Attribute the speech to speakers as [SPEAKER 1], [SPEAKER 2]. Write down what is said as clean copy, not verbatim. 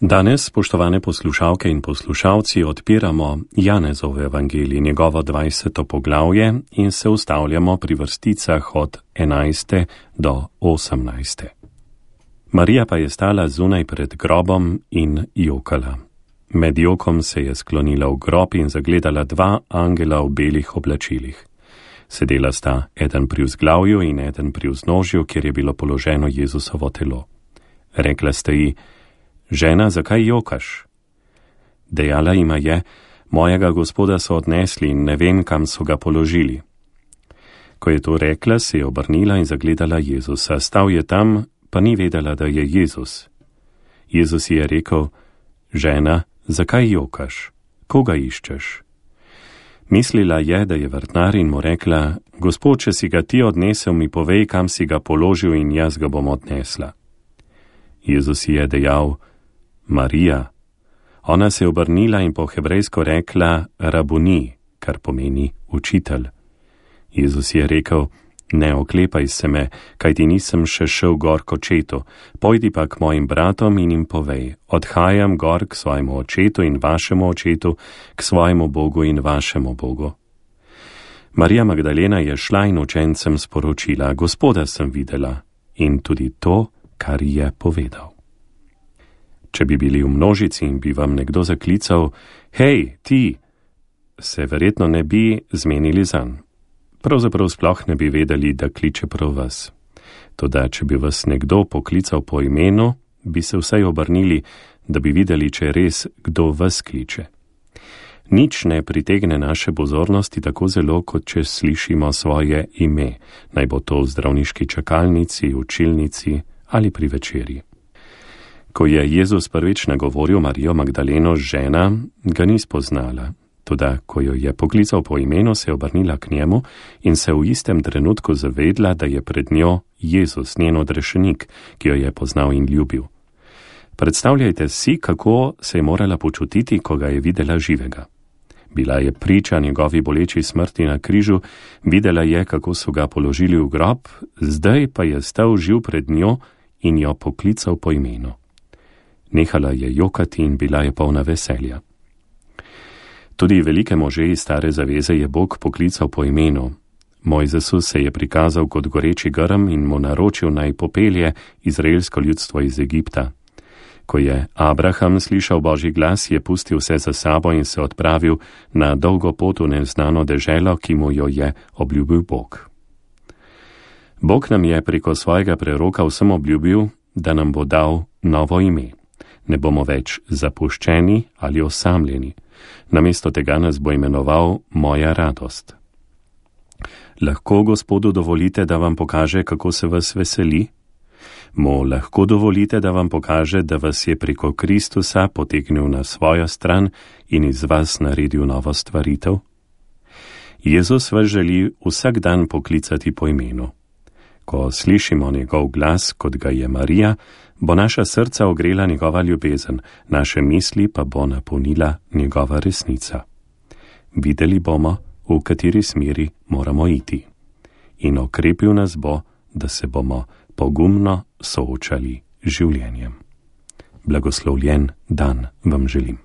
[SPEAKER 1] Danes, spoštovane poslušalke in poslušalci, odpiramo Janezov evangelij, njegovo 20. poglavje in se ustavljamo pri vrsticah od 11. do 18. Marija pa je stala zunaj pred grobom in jokala. Med jokom se je sklonila v grob in zagledala dva angela v belih oblačilih. Sedela sta eden pri vzglavju in eden pri vznožju, kjer je bilo položeno Jezusovo telo. Rekla sta ji: Žena, zakaj jokaš? Dejala jima je: Mojega Gospoda so odnesli in ne vem, kam so ga položili. Ko je to rekla, se je obrnila in zagledala Jezusa. Stal je tam, pa ni vedela, da je Jezus. Jezus ji je rekel: Žena, zakaj jokaš? Koga iščeš? Mislila je, da je vrtnar, in mu rekla: Gospod, če si ga ti odnesel, mi povej, kam si ga položil, in jaz ga bom odnesla. Jezus ji je dejal: Marija. Ona se je obrnila in po hebrejsko rekla Rabuni, kar pomeni učitelj. Jezus je rekel: Ne oklepaj se me, kajti nisem še šel gor k očetu, pojdi pa k mojim bratom in jim povej: Odhajam gor k svojemu očetu in vašemu očetu, k svojemu Bogu in vašemu Bogu. Marija Magdalena je šla in učencem sporočila: Gospoda sem videla, in tudi to, kar je povedal. Če bi bili v množici in bi vam nekdo zaklical: Hej, ti, se verjetno ne bi zmenili zanj. Pravzaprav sploh ne bi vedeli, da kliče prav vas. Toda, če bi vas nekdo poklical po imenu, bi se vsaj obrnili, da bi videli, če je res, kdo vas kliče. Nič ne pritegne naše pozornosti tako zelo, kot če slišimo svoje ime, naj bo to v zdravniški čakalnici, učilnici ali pri večerji. Ko je Jezus prvič nagovoril Marijo Magdaleno žena, ga ni spoznala. Toda, ko jo je poklical po imenu, se je obrnila k njemu in se v istem trenutku zavedla, da je pred njo Jezus, njen odrešenik, ki jo je poznal in ljubil. Predstavljajte si, kako se je morala počutiti, ko ga je videla živega. Bila je priča njegovi boleči smrti na križu, videla je, kako so ga položili v grob, zdaj pa je stal živ pred njo in jo poklical po imenu. Nehala je jokati in bila je polna veselja. Tudi velike može iz stare zaveze je Bog poklical po imenu. Mojzesu se je prikazal kot goreči grm in mu naročil, naj popelje izraelsko ljudstvo iz Egipta. Ko je Abraham slišal Božji glas, je pustil vse za sabo in se odpravil na dolgo pot v neznano deželo, ki mu jo je obljubil Bog. Bog nam je preko svojega preroka vsem obljubil, da nam bo dal novo ime. Ne bomo več zapuščeni ali osamljeni. Namesto tega nas bo imenoval Moja radost. Lahko Gospodu dovolite, da vam pokaže, kako se vas veseli? Mu lahko dovolite, da vam pokaže, da vas je preko Kristusa potegnil na svojo stran in iz vas naredil novo stvaritev? Jezus vas želi vsak dan poklicati po imenu. Ko slišimo njegov glas, kot ga je Marija, bo naša srca ogrela njegova ljubezen, naše misli pa bo napolnila njegova resnica. Videli bomo, v kateri smeri moramo iti. In okrepil nas bo, da se bomo pogumno soočali z življenjem. Blagoslovljen dan vam želim.